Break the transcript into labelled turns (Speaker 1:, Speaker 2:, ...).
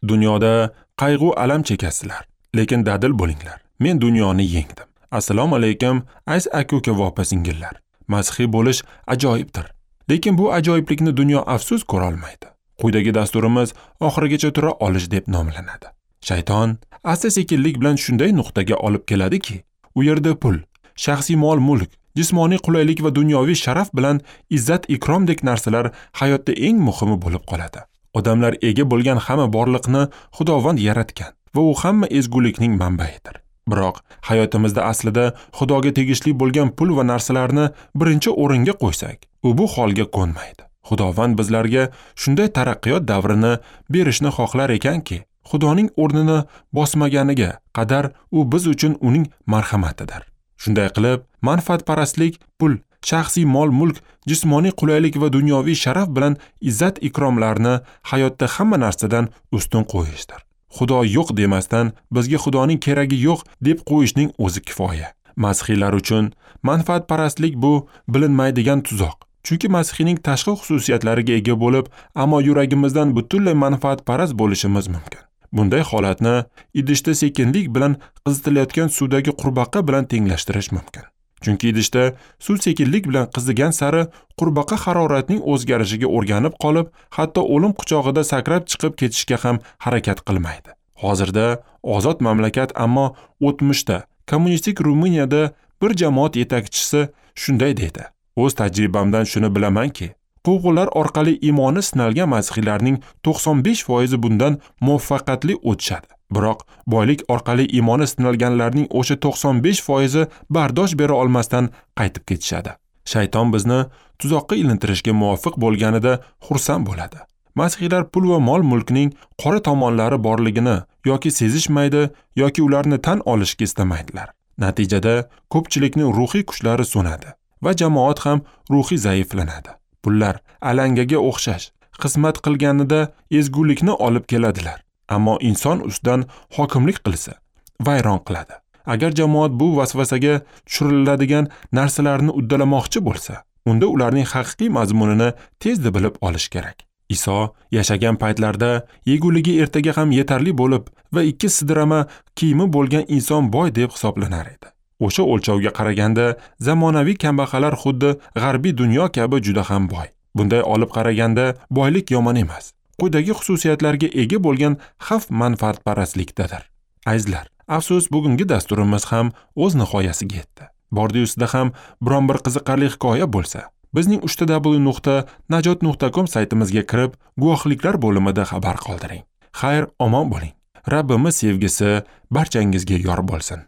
Speaker 1: Dunyoda qayg'u alam chekasizlar, lekin dadil bo'linglar. Men dunyoni yengdim. Assalomu alaykum, aziz aka-uka va opa-singillar. Masihiy bo'lish ajoyibdir. Lekin bu ajoyiblikni dunyo afsus ko'ra olmaydi. Quyidagi dasturimiz oxirigacha tura olish deb nomlanadi. Shayton asta-sekinlik bilan shunday nuqtaga olib keladiki, u yerda pul, shaxsiy mol-mulk, jismoniy qulaylik va dunyoviy sharaf bilan izzat-ikromdek narsalar hayotda eng muhimi bo'lib qoladi. Odamlar ega bo'lgan hamma borliqni Xudovand yaratgan va u hamma ezgulikning manbaidir. Biroq hayotimizda aslida Xudoga tegishli bo'lgan pul va narsalarni birinchi o'ringa qo'ysak, u bu holga ko'nmaydi. Xudovand bizlarga shunday taraqqiyot davrini berishni xohlar ekanki, Xudoning o'rnini bosmaganiga qadar u biz uchun uning marhamatidir. Shunday qilib, manfaatparastlik, pul, shaxsiy mol-mulk, jismoniy qulaylik va dunyoviy sharaf bilan izzat-ikromlarni hayotda hamma narsadan ustun qo'yishdir. Xudo yo'q demasdan bizga Xudoning keragi yo'q deb qo'yishning o'zi kifoya. Masihiylar uchun manfaatparastlik bu bilinmaydigan tuzoq. Chunki masihiyning tashqi xususiyatlariga ega bo'lib, ammo yuragimizdan butunlay manfaatparast bo'lishimiz mumkin. Bunday holatni idishda sekinlik bilan qizitilayotgan suvdagi qurbaqa bilan tenglashtirish mumkin. Chunki idishda suv sekinlik bilan qizigan sari qurbaqa haroratning o'zgarishiga o'rganib qolib, hatto o'lim quchog'ida sakrab chiqib ketishga ham harakat qilmaydi. Hozirda ozod mamlakat, ammo o'tmishda kommunistik Ruminiyada bir jamoat yetakchisi shunday dedi: O'z tajribamdan shuni bilamanki, quvg'inlar orqali iymoni sinalgan masihiylarning 95% bundan muvaffaqiyatli o'tishadi. Biroq boylik orqali iymoni sinalganlarning o'sha 95% bardosh bera olmasdan qaytib ketishadi. Shayton bizni tuzoqqa ilintirishga muvofiq bo'lganida xursand bo'ladi. Masihiylar pul va mol-mulkning qora tomonlari borligini yoki sezishmaydi, yoki ularni tan olishga istamaydilar. Natijada ko'pchilikning ruhiy kuchlari so'nadi va jamoat ham ruhiy zaiflanadi. Pullar alangaga o'xshash xizmat qilganida ezgulikni olib keladilar, ammo inson ustidan hokimlik qilsa, vayron qiladi. Agar jamoat bu vasvasaga tushiriladigan narsalarni uddalamoqchi bo'lsa, unda ularning haqiqiy mazmunini tezda bilib olish kerak. Iso yashagan paytlarda yeguligi ertaga ham yetarli bo'lib va 2 sidrama kiyimi bo'lgan inson boy deb hisoblanar edi. O'sha o'lchovga qaraganda zamonaviy kambag'allar xuddi g'arbiy dunyo kabi juda ham boy. Bunday olib qaraganda boylik yomon emas. Quyidagi xususiyatlarga ega bo'lgan xavf manfaatparastlikdadir. Azizlar, afsus bugungi dasturimiz ham o'z nihoyasiga yetdi. Bordi-ustida ham biron bir qiziqarli hikoya bo'lsa, bizning www.najot.com saytimizga kirib, guvohliklar bo'limida xabar qoldiring. Xayr, omon bo'ling. Rabbimiz sevgisi barchangizga yor bo'lsin.